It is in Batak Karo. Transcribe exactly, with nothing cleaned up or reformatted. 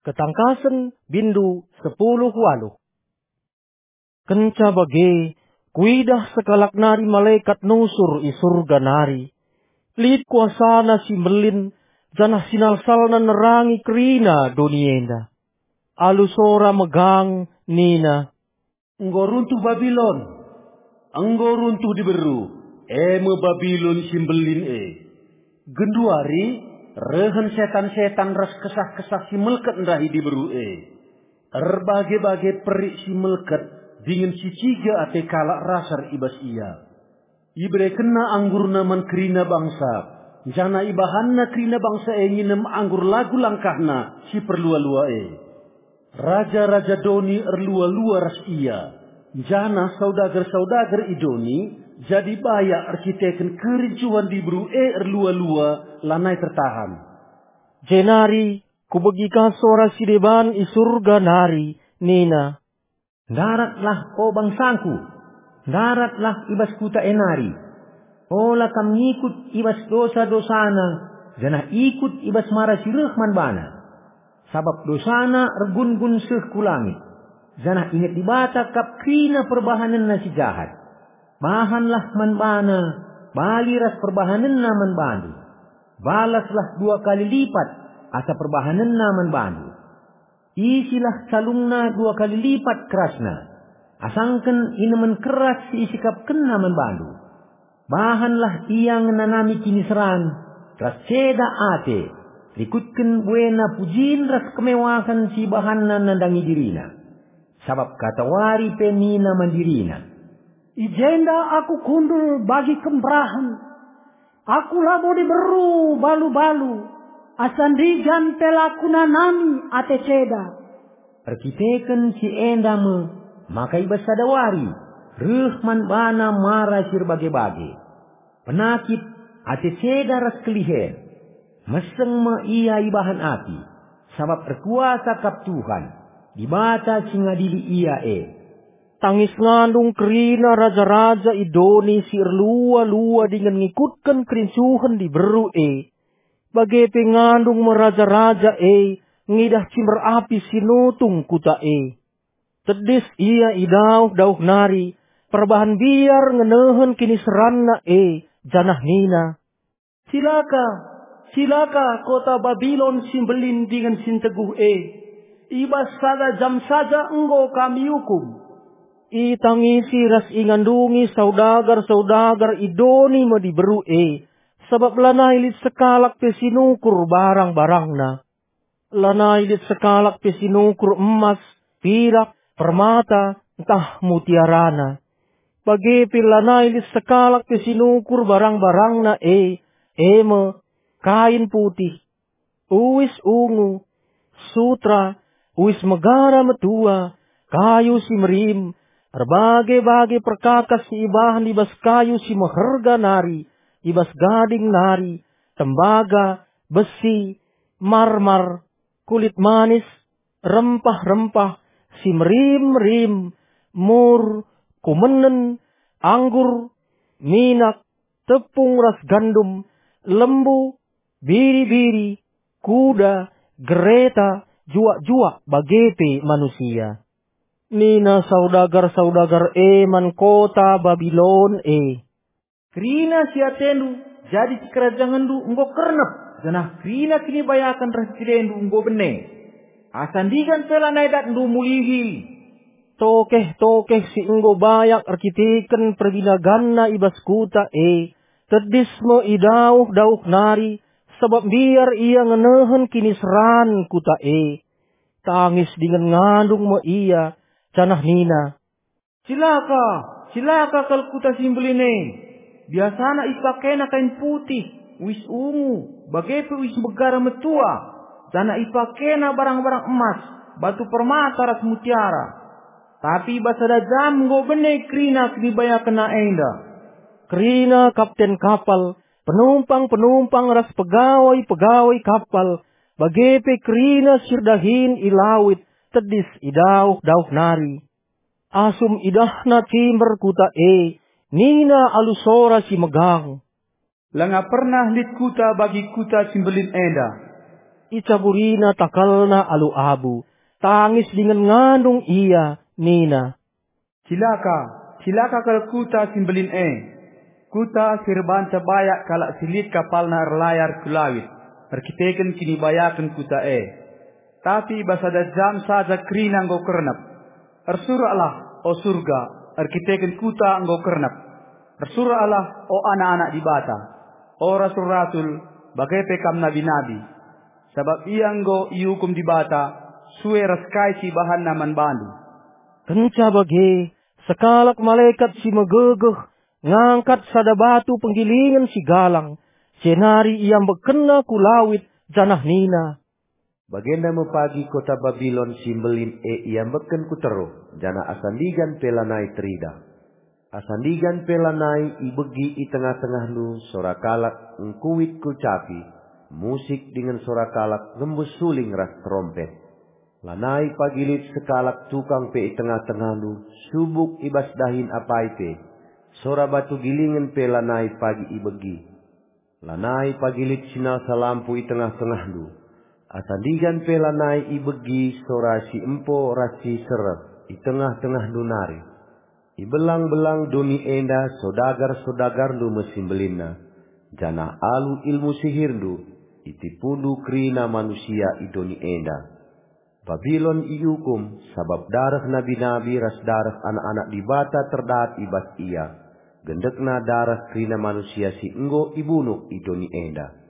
Ketangkasen, bindu sepuluh waluh. Kenca bage, kuidah sekalak nari malekat nusur i Surga nari. Lit kuasana si mbelin, janah sinalsalna nerangi kerina doni enda. Alu sora megang nina, "Enggo runtuh Babilon! Enggo runtuh diberu, e me Babilon si mbelin e! Genduari rehen setan-setan ras kesah-kesah si melket ndahi diberu e. Erbage-bage perik si melket dingen si ciga ate kalak rasar i bas ia. Iberekenna anggurna man kerina bangsa, janah ibahanna kerina bangsa e nginem anggur lagu langkahna si perlua-lua e. Raja-raja doni erlua-lua ras ia, janah saudagar-saudagar i doni jadi bayak erkiteken kerincuhen diberu e erlua-lua lanai tertahan." Jenari kubegi ka sora si deban i Surga nari nina, "Ndaratlah, o bangsangku, ndaratlah i bas kuta e nari. Ola kam ngikut i bas dosa-dosana, janah ikut i bas mara si reh man bana. Sabap dosana ergun-gun seh ku langit, janah inget Dibata kap kerina perbahanenna si jahat. Bahanlah man bana bali ras perbahanenna man bandu. Balaslah dua kali lipat asa perbahanenna man bandu. Isilah calungna dua kali lipat kerasna, asangken inemen keras si isikapkenna man bandu. Bahanlah ia ngenanami kiniseran ras ceda ate, rikutken buena pujin ras kemewahen si ibahanna nandangi dirina. Sabap katawari pe nina man dirina, 'I jenda aku kundul bagi kemberahen. Aku labo diberu balu-balu, asa ndigan pe la kunanami ate ceda.' Erkiteken si enda me maka i bas sada wari reh man bana mara si erbage-bage, penakit, ate ceda ras kelihen. Meseng me ia ibahan api, sabap erkuasa kap Tuhan, Dibata si ngadili ia e. Tangis ngandung kerina raja-raja i doni si erlua-lua dingen ngikutken kerincuhen diberu e. Bage pe ngandung me raja-raja e ngidah cimber api si nutung kuta e. Tedis ia i dauh-dauh nari, perbahan biar ngenehen kiniseranna e, janah nina, "Cilaka, cilaka kota Babilon si mbelin dingen si nteguh e! I bas sada jam saja enggo kam iukum." Itangisi ras ingandungi saudagar-saudagar i doni me diberu e, sabap lanai lit sekalak pe si nukur barang-barangna. Lanai lit sekalak pe si nukur emas, pirak, permata, ntah mutiarana. Bage pe lanai lit sekalak pe si nukur barang-barangna e, e me, kain putih, uis ungu, sutra, uis megara metua, kayu si merim, erbage-bage perkakas si ibahan i bas kayu si meherga nari, i bas gading nari, tembaga, besi, marmar, kulit manis, rempah-rempah, si merim-merim, mur, kumenen, anggur, minak, tepung ras gandum, lembu, biri-biri, kuda, gereta, juak-juak, bage pe manusia. Nina saudagar-saudagar e man kota Babilon e, "Kerina si atendu jadi sikerajangenndu enggo kernep, janah kerina kinibayaken ras cilendu enggo bene. Asa ndigan pe lanai datndu mulihi." Tokeh-tokeh si enggo bayak erkiteken perbinaganna i bas kuta e, tedis me i dauh-dauh nari, sabap mbiar ia ngenehen kiniseran kuta e. Tangis dingen ngandung me ia, janah nina, "Cilaka, cilaka kal kuta si mbelin e! Biasana ipakena kain putih, uis ungu, bage pe uis megara metua, janah ipakena barang-barang emas, batu permata ras mutiara. Tapi i bas sada jam enggo bene kerina kinibayakenna enda." Kerina kapten kapal, penumpang-penumpang ras pegawai-pegawai kapal, bage pe kerina si erdahin i lawit tedis i dauh-dauh nari. Asum idahna cimber kuta e, nina alu sora si megang, "Langa pernah lit kuta bagi kuta si mbelin enda. Icaburina takalna alu abu, tangis dingen ngandung ia, nina, "Cilaka, cilaka kal kuta si mbelin e! Kuta si erbahanca bayak kalak si lit kapalna erlayar ku lawit erkiteken kinibayaken kuta e. Tapi i bas sada jam saja kerina enggo kernep. Ersuraklah, o Surga, erkiteken kuta enggo kernep. Ersuraklah, o anak-anak Dibata, o rasul-rasul, bage pe kam nabi-nabi. Sabap ia enggo iukum Dibata sue ras kai si ibahanNa man bandu." Kenca bage, sekalak malekat si megegeh ngangkat sada batu penggilingen si galang, jenari iambekkenna ku lawit, janah nina, "Bagenda me pagi kota Babilon si mbelin e iambekken ku teruh, janah asa ndigan pe lanai teridah. Asa ndigan pe lanai ibegi i tengah-tengahndu sora kalak ngkuit ku capi, musik dingen sora kalak ngembus suling ras terompet. Lanai pagi lit sekalak tukang pe i tengah-tengahndu, subuk i bas dahin apai pe, sora batu gilingen pe lanai pagi ibegi. Lanai pagi lit si nasa lampu i tengah-tengahndu, asa ndigan pe lanai ibegi sora si empo ras si sereh i tengah-tengahndu nari. Ibelang-belang doni enda sodagar-sodagarndu me si mbelinna, janah alu ilmu sihirndu, itipundu kerina manusia i doni enda. Babilon iukum, sabap dareh nabi-nabi ras dareh anak-anak Dibata terdat i bas ia, gendekna dareh kerina manusia si enggo ibunuh i doni enda."